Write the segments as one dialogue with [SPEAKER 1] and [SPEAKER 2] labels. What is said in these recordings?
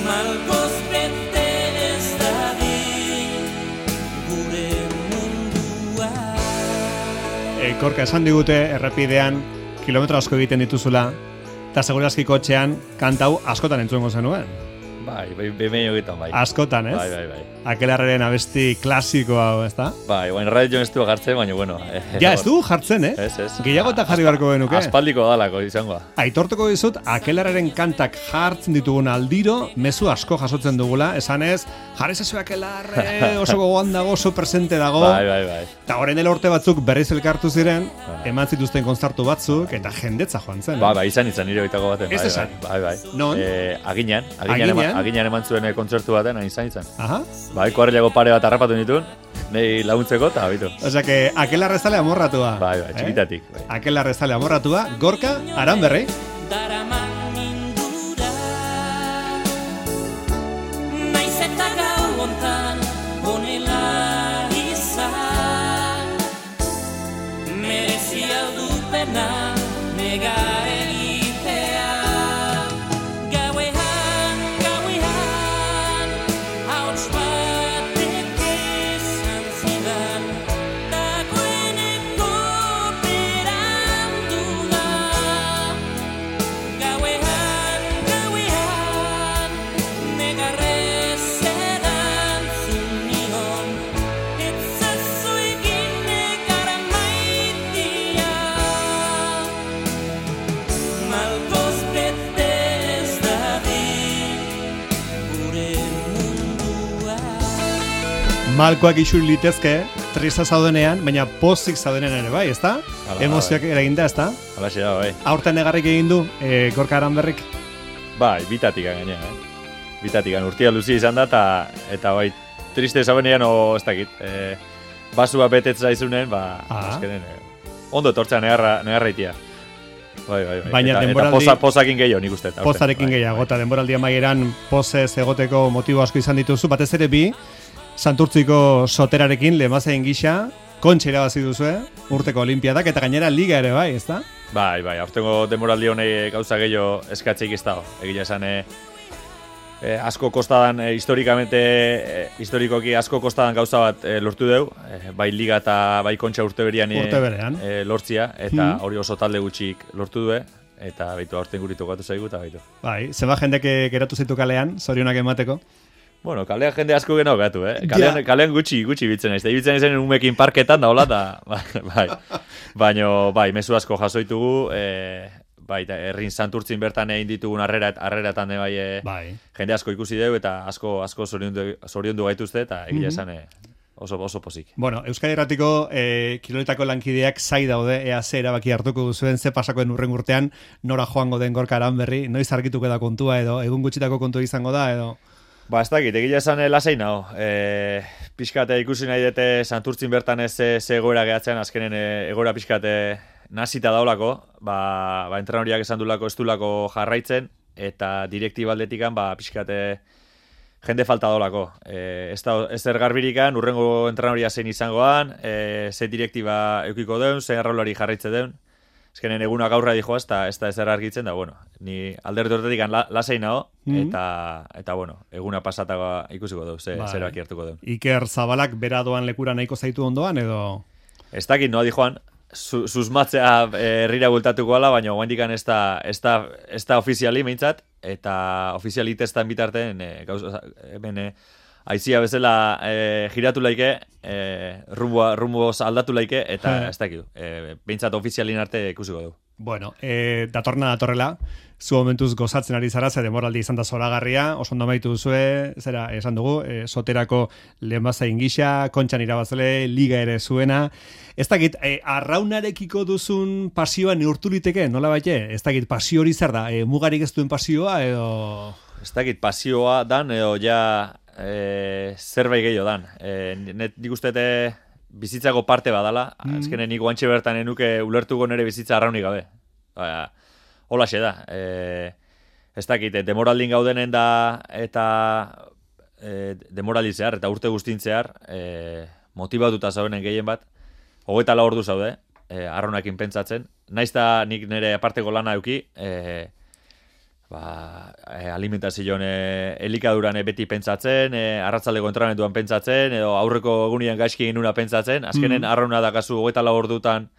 [SPEAKER 1] Malgoz bete ez dadin gure mundua.
[SPEAKER 2] Korka, esan digute errepidean kilometro asko egiten dituzula, eta segurazki kotxean kantau askotan entzuengo zenuen.
[SPEAKER 3] Bai, behin hogetan bai.
[SPEAKER 2] Askotan, ez?
[SPEAKER 3] Bai.
[SPEAKER 2] Akelarraren abesti klasiko hau, ez da?
[SPEAKER 3] Bai, baina radio ez du jartzen, baina bueno.
[SPEAKER 2] Ja, ez du jartzen,
[SPEAKER 3] Ez.
[SPEAKER 2] Gehiago eta jarri beharko genuke.
[SPEAKER 3] Aspaldiko dalako izangoa.
[SPEAKER 2] Aitortuko dizut, Akelarraren kantak jartzen ditugun aldiro, mezu asko jasotzen dugula, esanez, jarri zazu Akelarre, oso gogoan dago, oso presente dago.
[SPEAKER 3] Bai.
[SPEAKER 2] Eta horren dela urte batzuk berriz elkartu ziren, eman zituzten kontzertu batzuk, eta jendetza joan zen.
[SPEAKER 3] Bai, izan nire oitako baten.
[SPEAKER 2] Ez esan.
[SPEAKER 3] Bai.
[SPEAKER 2] Non?
[SPEAKER 3] Aginan eman zuen kontzertu baten, izan.
[SPEAKER 2] Aha.
[SPEAKER 3] Bai, kuarrilago pare bat harrapatu nituen, nahi laguntzeko, eta habitu.
[SPEAKER 2] Osea, que Akelarre zale amorratua.
[SPEAKER 3] Bai, txikitatik. Bai.
[SPEAKER 2] Akelarre zale amorratua, Gorka Aranberri.
[SPEAKER 1] Daraman mindura naiz eta gau hontan honela izan merezia du pena nega egitea gauean hauts batek esan zidan dagoeneko berandu da gauean negarrez erantzun nion etzazu egin negara maitia malgoz bete ez dadin gure mundua.
[SPEAKER 2] Malkoak isuri litezke, trista zaudenean, baina pozik zaudenean ere bai, ezta?
[SPEAKER 3] Hala,
[SPEAKER 2] Emozioak eraginda, ezta?
[SPEAKER 3] Halaxe da, bai.
[SPEAKER 2] Aurten negarrik egin du, Gorka Aranberrik.
[SPEAKER 3] Bai, bitatikan gainera, Bitatikan urtia luzia izan da, eta bai, triste zaudenean, ez dakit. Basua betetza izunen, azkenen, ondo etortzea negarra itia. Bai.
[SPEAKER 2] Baina
[SPEAKER 3] eta
[SPEAKER 2] denboraldi-
[SPEAKER 3] pozakin gehiago, nik uste.
[SPEAKER 2] Pozarekin gehiago, eta denboraldi amaieran pozez egoteko motibo asko izan dituzu, batez ere bi, Santurtziko soterarekin lehenbazain gisa, kontxa irabazi duzue, urteko olimpiadak, eta gainera liga ere bai, ezta?
[SPEAKER 3] Bai, aurtengo denboraldi honei gauza gehiago eskatzeik ez dago. Egia esan, asko kostadan, historikoki asko kostadan gauza bat lortu deu, bai liga eta bai kontxa urte berean lortzia, eta hori oso talde gutxik lortu du, eta baitu aurten guritu gatu zaigu, eta baitu.
[SPEAKER 2] Bai, zeba jendek geratu zitu kalean, zorionak emateko.
[SPEAKER 3] Bueno, kalean jende asko geno gatu, Kalean gutxi bitzen naiz. Ibiltzen naizen umekin parketan da, hola, da, bai. Baina, bai, mezu asko jasoitugu, bai, herrin Santurtzin bertan egin ditugun harreratan bai, jende asko ikusi dugu, eta asko zoriondu gaituzte, eta egia esan oso pozik.
[SPEAKER 2] Bueno, Euskadi Irratiko kiloletako lankideak zai daude, ea ze erabaki hartuko duzuen, ze pasakoen urren urtean, nora joango den Gorka Aranberri, noiz argituko da kontua, edo egun gutxitako kontua izango da, edo...
[SPEAKER 3] Ba, ez dakit, egia esan lasai nago. Pixkate ikusi nahi dute Santurtzin bertan ez ze egoera gehatzen, azkenen egoera pixkate nazita daulako, ba entrenoriak esan dulako ez dulako jarraitzen, eta direktibaldetikan, pixkate jende falta daulako. Ez zer garbirikan, urrengo entrenoria zein izangoan, ze direktiba eukiko deun, ze arraulari jarraitze deun. Ezkenen eguna gaurra dijo ez da ezer argitzen da, bueno, ni alderdi horretik lasai nago, eta bueno, eguna pasata ikusiko dugu, zeraki hartuko dugu.
[SPEAKER 2] Iker Zabalak bera doan lekura nahiko zaitu ondoan, edo...
[SPEAKER 3] Ez dakit, noa dijoan, susmatzea herrira bultatuko ala, baina guandikan ez da ofiziali meintzat, eta ofizialitestan bitarten, hemen aizia bezala giratu laike, rumboz aldatu laike, eta ez dakit, behintzat ofizialin arte ikusiko du.
[SPEAKER 2] Bueno, datorrela, zu momentuz gozatzen ari zara, ze demoraldi izan da zoragarria, oso ondo amaitu duzue, zera, esan dugu, soterako lehenbazain gisa, kontxan irabazle, liga ere zuena. Ez dakit, arraunarekiko duzun pasioa neurtu liteke, nola baite? Ez dakit, pasio hori zer da, mugarik ez duen pasioa, edo...
[SPEAKER 3] Ez dakit, pasioa dan, edo ja... zerbait gehiago dan. Nik uste bizitzako parte badala, azkenen nik guantxe bertan enuke ulertuko nere bizitza arraunik gabe. Holaxe da. Ez dakit, demoraldin gaudenen da, eta demoralizear, eta urte guztintzear, motibatuta zaudenen gehien bat, 24 ordu zaude, arraunakin pentsatzen. Naiz da nik nire aparteko lana euki, alimentazioan elikaduran beti pentsatzen, arratzaldeko entrenamenduan pentsatzen, edo aurreko egunean gaizki egin nuna pentsatzen, azkenen arrauna dakazu 24 ordutan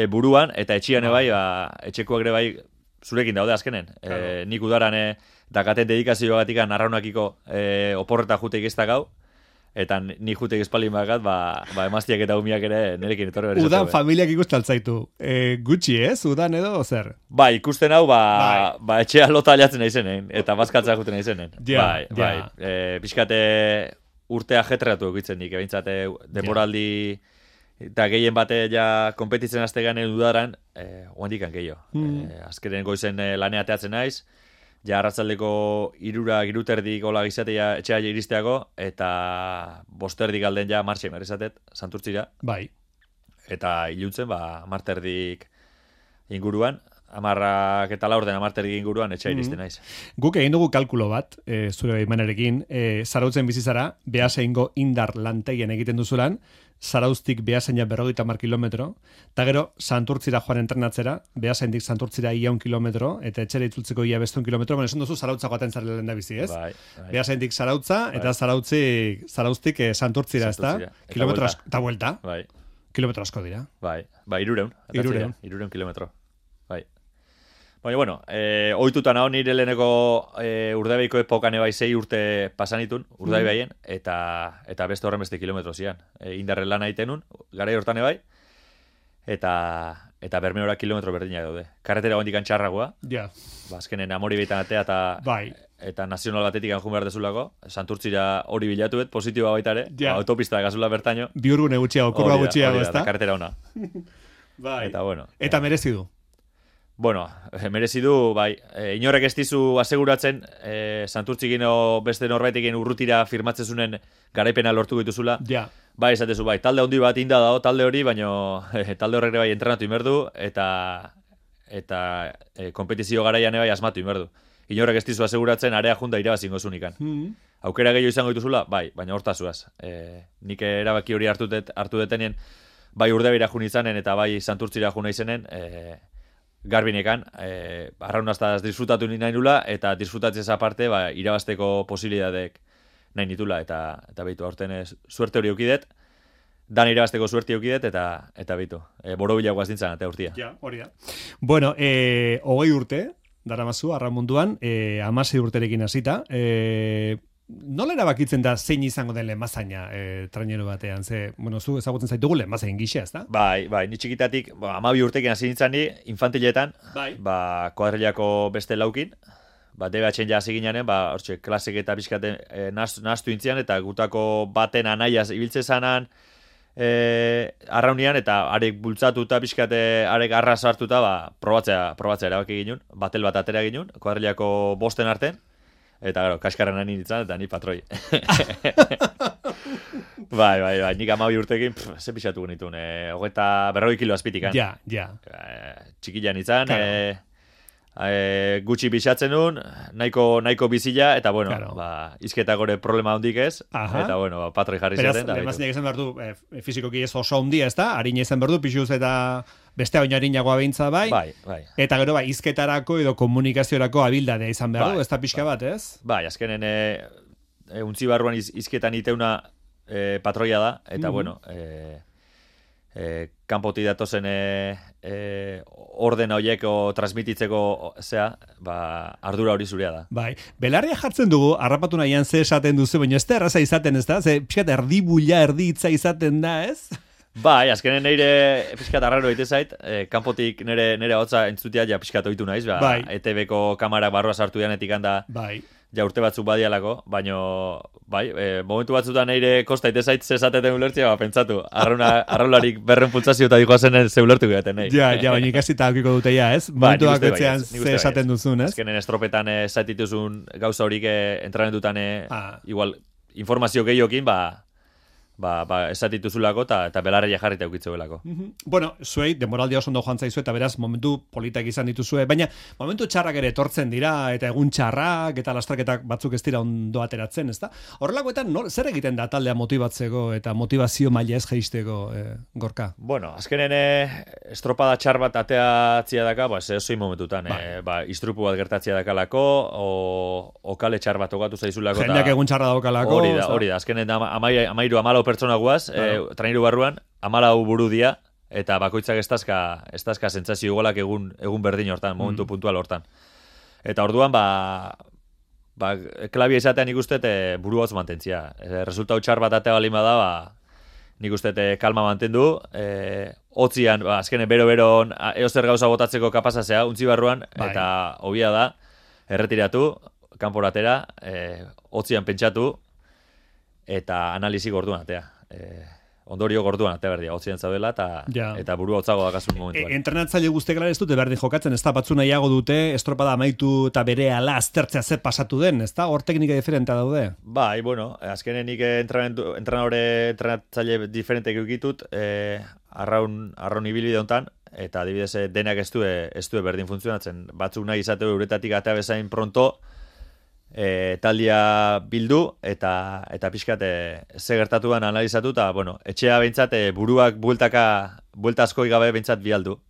[SPEAKER 3] buruan, eta etxian bai, etxekoak ere bai zurekin daude azkenen. Nik udaran dakaten dedikazioagatik arraunakiko oporreta juteik ez da gau, eta ni juteik espalin bakat, emaztiak eta umiak ere nerekin etorri berri.
[SPEAKER 2] Udan familiak ikustaltzaitu. Gutxi ez, udan edo, zer?
[SPEAKER 3] Bai, ikusten hau, etxea lota aliatzen naizenen, eta bazkatza juten naizenen. Pixkate urtea jetreatu egitzen nik, ebintzate demoraldi eta gehien bate ja konpetitzen azte ganen udaran, oandikan gehiago. Azkeren goizen laneateatzen naiz, ja arratzaldeko 3:30 gola gizatea etxea iristeako, eta 5:30 galden ja martxe merezatet, Santurtzira.
[SPEAKER 2] Bai.
[SPEAKER 3] Eta iluntzen, 10:30 inguruan, 10 eta 10:30 inguruan etxea iristen naiz.
[SPEAKER 2] Guk egin dugu kalkulo bat, zure baimenarekin, zarautzen bizizara, behaseingo indar lantegien egiten duzulan, Zarauztik Beasaina 50 kilometro, eta gero Santurtzira joan entrenatzera, Beasaindik Santurtzira 100 kilometro, eta etxera itzultzeko 100 kilometro, bueno, esan duzu Zarautza joaten zarela lehen da bizi, ez?
[SPEAKER 3] Bai.
[SPEAKER 2] Beasaindik Zarautza, eta Zarauztik Santurtzira, ez da? Kilometro asko, eta vuelta.
[SPEAKER 3] Bai.
[SPEAKER 2] Kilometro asko dira.
[SPEAKER 3] Bai, 300. 300 kilometro. Bai. Baina, bueno, ohituta naho nire leheneko Urdaibaiko epokane bai 6 urte pasanitun, Urdaibaien, eta beste horren beste kilometro zian. Indarren lan aitenun, garai hortane bai, eta Bermeora kilometro berdinak daude. Karretera gondikan txarragoa, azkenen Amori beitan atea, eta nazional batetik anjun behar dezulako, Santurtzira hori bilatuet, positiboa baita ere, autopista gazula bertaino.
[SPEAKER 2] Biurgune gutxiago, kurba gutxiago, ez da?
[SPEAKER 3] Eta karretera ona.
[SPEAKER 2] Bai.
[SPEAKER 3] Eta bueno.
[SPEAKER 2] Eta merezi du.
[SPEAKER 3] Bueno, merezi du, bai, inorrek ez dizu aseguratzen, Santurtzikino beste norbaitekin urrutira firmatzen zunen garaipena lortu dituzula. Bai, esatezu, bai, talde handi bat inda dago, talde hori, baino talde horrek bai entrenatu inberdu, eta kompetizio garaian bai asmatu inberdu. Inorrek ez dizu aseguratzen, area junda irabazingo zunikan. Aukera gehiago izango dituzula, bai, baina hortazuaz. Nik erabaki hori hartu detenien, bai Urdaibira jun izanen, eta bai Santurtzira juna izenen, garbinekan, arraunaztaz disfrutatu nahi nula, eta disfrutatzez aparte, irabazteko posibilitateek nahi nitula, eta behitu, aurten suerte hori eukidet, dan irabazteko suerte eukidet, eta behitu, borobilagoaz dintzen, eta urtia.
[SPEAKER 2] Ja, hori da. Bueno, 20 urte, daramazu, arramunduan, 16 urterekin hasita, nola erabakitzen da zein izango den lehenbazaina trainero batean? Ze, bueno, zu ezagutzen zaitugu lehenbazain gisa, ez da?
[SPEAKER 3] Bai, ni txikitatik, 12 urtekin hasi nintzen ni, infantiletan, kuadrilako beste laukin, DBH-en ja hasi ginanen, hortxe, klasek eta pixkaten nahastu intzian, eta gutako baten anaiaz ibiltze zanan, arraunian, eta arek bultzatu eta pixkate, arek arras hartuta, probatzea erabaki ginen, batel bat atera ginen, kuadrilako bosten arten, eta gero, kaskarren nahi nintzen, eta ni patroi. Bai, nik 12 urtekin, ze pixatu genitun, 40 kilo azpitikan.
[SPEAKER 2] Ja.
[SPEAKER 3] Txikilan nintzen, gutxi bisatzen nun, nahiko bizila, eta bueno, izketa gore problema hondik ez, eta bueno, patroi jarri zaten.
[SPEAKER 2] Beraz, lehenbazinak izan behar du, fizikoki ez oso hondia, ez da? Harina izan behar du, pixuz eta beste baino harinagoa behintza bai.
[SPEAKER 3] Bai.
[SPEAKER 2] Eta gero, izketarako edo komunikaziorako abildadea izan behar du, ez da pixka bat, ez?
[SPEAKER 3] Bai, azkenen untzi barruan izketan iteuna patroia da, eta bueno, kanpoti datozen ordena horieko transmititzeko ardura hori zurea da. Bai,
[SPEAKER 2] belarria jartzen dugu, harrapatu nahian ze esaten duzu, baina ez da erraza izaten, ez da? Ze pixkat erdi bulla, erdi hitza izaten da, ez?
[SPEAKER 3] Bai, azkenen neire pixkat arraro egite zait, kanpotik nire hotza entzutia ja pixkat ohitu naiz, ETV-ko kamarak barroa sartu dianetik handa, ja urte batzuk badialako, baino, momentu batzutan neire kosta ite zait zesateten ulertzea, pentsatu, arraularik berren pultsazio eta dikoazen ze ulertu gaten nahi.
[SPEAKER 2] Ja, baina ikasita aukiko dute ja, ez? Momentu bakoitzean ze esaten duzun, ez?
[SPEAKER 3] Azkenen estropetan zaitituzun gauza horik entrenamentutan igual informazio gehiokin, esatituzulako eta belarria jarrita eukitzeuelako.
[SPEAKER 2] Bueno, zuei, demoraldia oso ondo joan zaizu eta beraz momentu politak izan dituzue, baina momentu txarrak ere etortzen dira eta egun txarrak eta lastraketak batzuk ez dira ondo ateratzen, ezta? Horrelakoetan zer egiten da taldea motibatzeko eta motivazio maila ez jeisteko, Gorka?
[SPEAKER 3] Bueno, azkenen estropada txar bat ateatzia daka, zehozoi momentutan, istrupu bat gertatzia dakalako, o kale txar bat okatu zaizulako.
[SPEAKER 2] Jendeak egun txarra daukalako.
[SPEAKER 3] Hori da, azkenen amairu pertsona guaz, traineru barruan, 14 buru dia, eta bakoitzak estazka sentsazio igualak egun berdin hortan, momentu puntual hortan. Eta orduan, klabia izatean nik uste buru hotz mantentzia. Resultau txar bat atea balima da, nik uste kalma mantendu, hotzian, azkenen bero-bero eozer gauza botatzeko kapazazea, untzi barruan, eta hobia da, erretiratu, kanporatera, hotzian pentsatu, eta analizi gorduan atea. Ondorio gorduan atea berdia, hotzian zaudela, eta burua hotzago dakazun momentuan.
[SPEAKER 2] Entrenatzaile guztiek ez dute berdin jokatzen, ez da batzu nahiago dute, estropada amaitu eta bere ala aztertzea zer pasatu den, ez da? Hor teknika diferentea daude?
[SPEAKER 3] Bai, bueno, azkenen nik entrenatzaile diferentek eukitut, arraun ibilbide hontan, eta adibidez denak ez du berdin funtzionatzen. Batzuk nahi izateu euretatik atea bezain pronto, taldia bildu eta pixkat ze gertatuan analizatu eta bueno, etxea behintzat buruak buelta askoi gabe behintzat bialdu.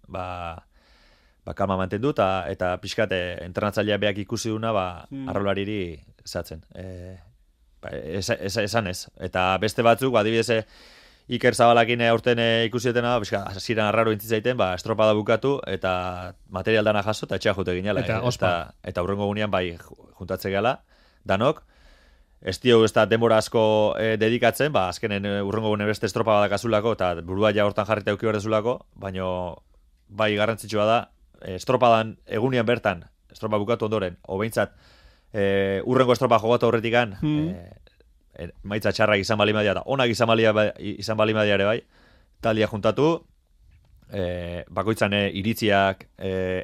[SPEAKER 3] Kalma mantendu eta pixkat entrenatzailea beak ikusi duna arrolariri zatzen. Esan ez. Eta beste batzuk, adibidez Iker Zabalakin aurten ikusietena, hasieran arraro intzizaiten, estropada bukatu eta material dana jaso eta etxea jute ginela. Eta hurrengo gunean juntatze gala, danok. Ez dio ez da denbora asko dedikatzen, azkenen hurrengo gunean beste estropada dakazulako eta burua ja hortan jarrita euki berdezulako, baina garrantzitsua da, estropadan egunean bertan, estropa bukatu ondoren, behintzat hurrengo estropa jogatu horretikan, maitza txarrak izan balimadia eta onak izan balimadia ere bai, taldia juntatu, bakoitzan iritziak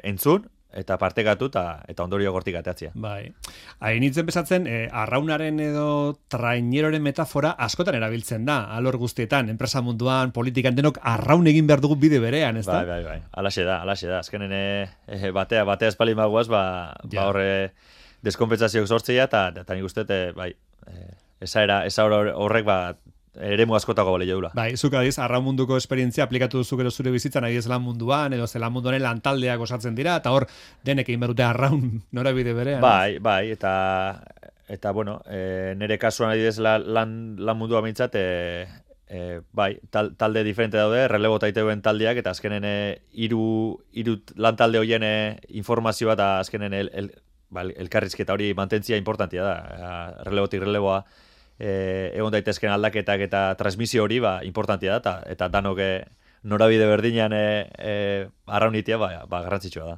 [SPEAKER 3] entzun, eta partekatu eta ondorio gortik ateatzia.
[SPEAKER 2] Bai. Hain nintzen bezatzen, arraunaren edo traineroren metafora askotan erabiltzen da, alor guztietan, enpresa munduan, politikan denok arraun egin behar dugu bide berean, ez da?
[SPEAKER 3] Bai. Alaxe da. Azkenen batea espalin bagoaz, horre deskonpentsazioak sortzea, eta nik uste, esa horrek eremu askotako bale jaula.
[SPEAKER 2] Bai, zuk adiz, arraun munduko esperientzia aplikatu duzu gero zure bizitzan, adiz lan munduan, edo zelan munduan lantaldeak osatzen dira, eta hor denek egin berute arraun norabide berean.
[SPEAKER 3] Bai, eta bueno, nire kasuan adiz lan mundua mintzat, talde diferente daude, relebo taiteuen taldeak, eta azkenen hiru lantalde horien informazioa eta azkenen elkarrizketa hori mantentzia importantia da. Relebotik releboa egon daitezken aldaketak eta transmisio hori importantia da, eta danok norabide berdinean arraunitia garrantzitsua da.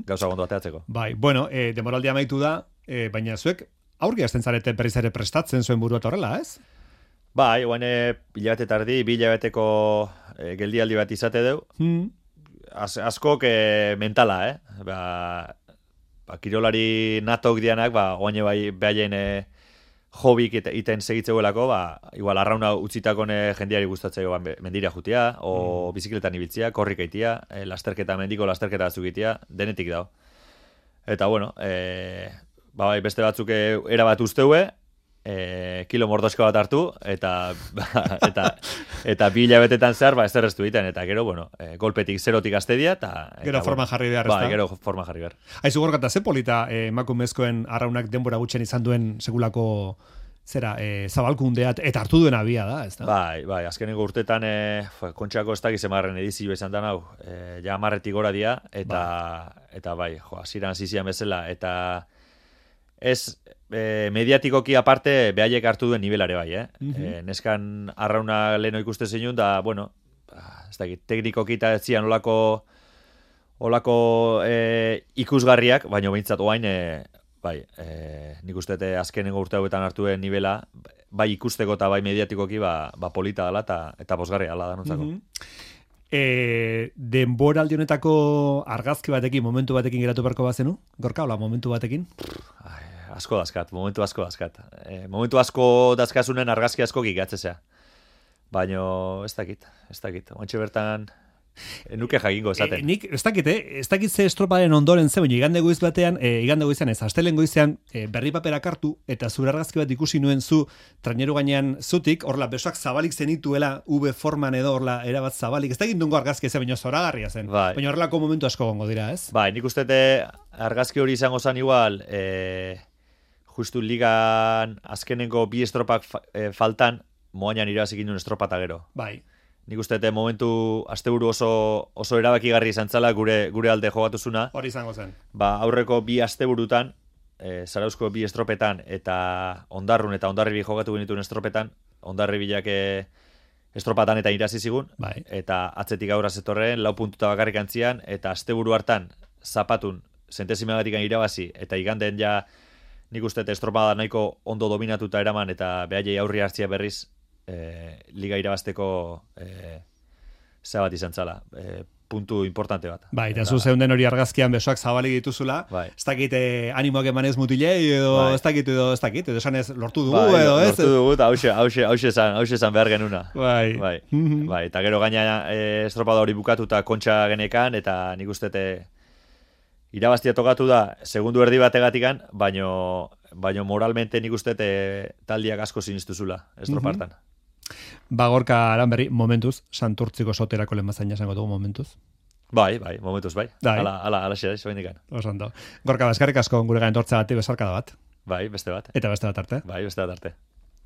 [SPEAKER 3] Gauza gondo ateatzeko.
[SPEAKER 2] Bai, bueno, demoraldia amaitu da, baina zuek aurki hasten zarete berriz ere prestatzen zuen burua horrela, ez?
[SPEAKER 3] Bai, guain hilabete tardi, 2 hilabeteko geldialdi bat izate deu. Askok mentala, kirolari natok dianak, oaine behaien hobik iten segitzeuelako, igual arrauna utzitakon jendiari gustatzeo mendira jutia, o bizikletan ibiltzia, korrik eitia, mendiko lasterketa batzuk denetik dao. Eta bueno, beste batzuk erabat usteue, kilo mordosko bat hartu, eta 2 hilabetetan zehar, ez erreztu egiten, eta gero, golpetik, zerotik aztedia, eta
[SPEAKER 2] gero forma jarri behar, ez da?
[SPEAKER 3] Gero forma jarri behar.
[SPEAKER 2] Aizu gorkata, ze polita emakumezkoen arraunak denbora gutxen izan duen segulako zabalkundeat, eta hartu duen abia da, ez da?
[SPEAKER 3] Bai, azkeneko urtetan, kontxako ez dakiz emarren edizio izan da nau, ja 10 gora dia, eta bai, hasiran zizian bezala, eta ez mediatikoki aparte behaiek hartu duen nivelare bai, neskan arrauna leheno ikuste zinun, da, bueno, ez dakit, teknikoki eta etzian olako ikusgarriak, baina behintzat oain, nik uste azkenengo urte hauetan hartu duen nivela, bai ikusteko eta bai mediatikoki polita dela eta bosgarria dela danontzako.
[SPEAKER 2] Denboraldi honetako argazki batekin, momentu batekin geratu beharko bazenu? Gorka, hola, momentu batekin?
[SPEAKER 3] Momentu asko dazkat. Momentu asko dazkazunen argazki asko gigatzezea. Baino ez dakit. Ontxe bertan nuke jakingo esaten.
[SPEAKER 2] Nik ez dakit ze estroparen ondoren ze, baina igande goizean ez, astelen goizean berri paperak hartu, eta zure argazki bat ikusi nuen zu traineru gainean zutik, horla besoak zabalik zenituela, V forman edo horla erabat zabalik, ez dakit nungo argazki ez, baina zoragarria zen.
[SPEAKER 3] Bai.
[SPEAKER 2] Baina horrelako momentu asko gongo dira, ez?
[SPEAKER 3] Bai, nik uste argazki hori izango zen igual, justu ligan azkenengo bi estropak faltan, moainan irabazik induen estropata gero.
[SPEAKER 2] Bai.
[SPEAKER 3] Nik uste momentu asteburu oso erabakigarri izan zela gure alde jogatuzuna.
[SPEAKER 2] Hori izango zen.
[SPEAKER 3] Ba, aurreko bi asteburutan, Zarauzko bi estropetan eta Ondarrun eta Hondarribi jogatu genituen estropetan, Hondarribilak estropatan eta irazi zigun,
[SPEAKER 2] bai.
[SPEAKER 3] Eta atzetik aurra zetorren, 4 puntuta bakarrik antzian, eta asteburu hartan zapatun zentesimagatik irabazi, eta iganden ja nik uste estropada nahiko ondo dominatuta eraman, eta behaiei aurri hartzia berriz, liga irabazteko bat izan zala, puntu importante bat.
[SPEAKER 2] Bai, eta zu zeunden hori argazkian besoak zabalik dituzula,
[SPEAKER 3] bai.
[SPEAKER 2] Ez dakit animoak emanez mutilei, edo
[SPEAKER 3] bai.
[SPEAKER 2] ez dakit, edo esan ez lortu dugu,
[SPEAKER 3] bai,
[SPEAKER 2] edo ez?
[SPEAKER 3] Lortu dugu, eta hause esan behar genuna.
[SPEAKER 2] Bai.
[SPEAKER 3] Bai, eta gero gaina estropada hori bukatuta kontxa genekan, eta nik ustete irabaztia tokatu da, segundu erdi bategatikan, baino moralmente nik ustete taldiak asko sinistuzula estropartan.
[SPEAKER 2] Ba, Gorka Aranberri, momentuz, Santurtziko soterako lehenbazaina esango dugu momentuz.
[SPEAKER 3] Bai, momentuz, bai. Ala xe da, izo bendikan.
[SPEAKER 2] Osando. Gorka, eskerrik asko gure gain tortzagatik besarkada bat.
[SPEAKER 3] Bai, beste bat.
[SPEAKER 2] Eta beste bat arte.
[SPEAKER 3] Bai, beste bat arte.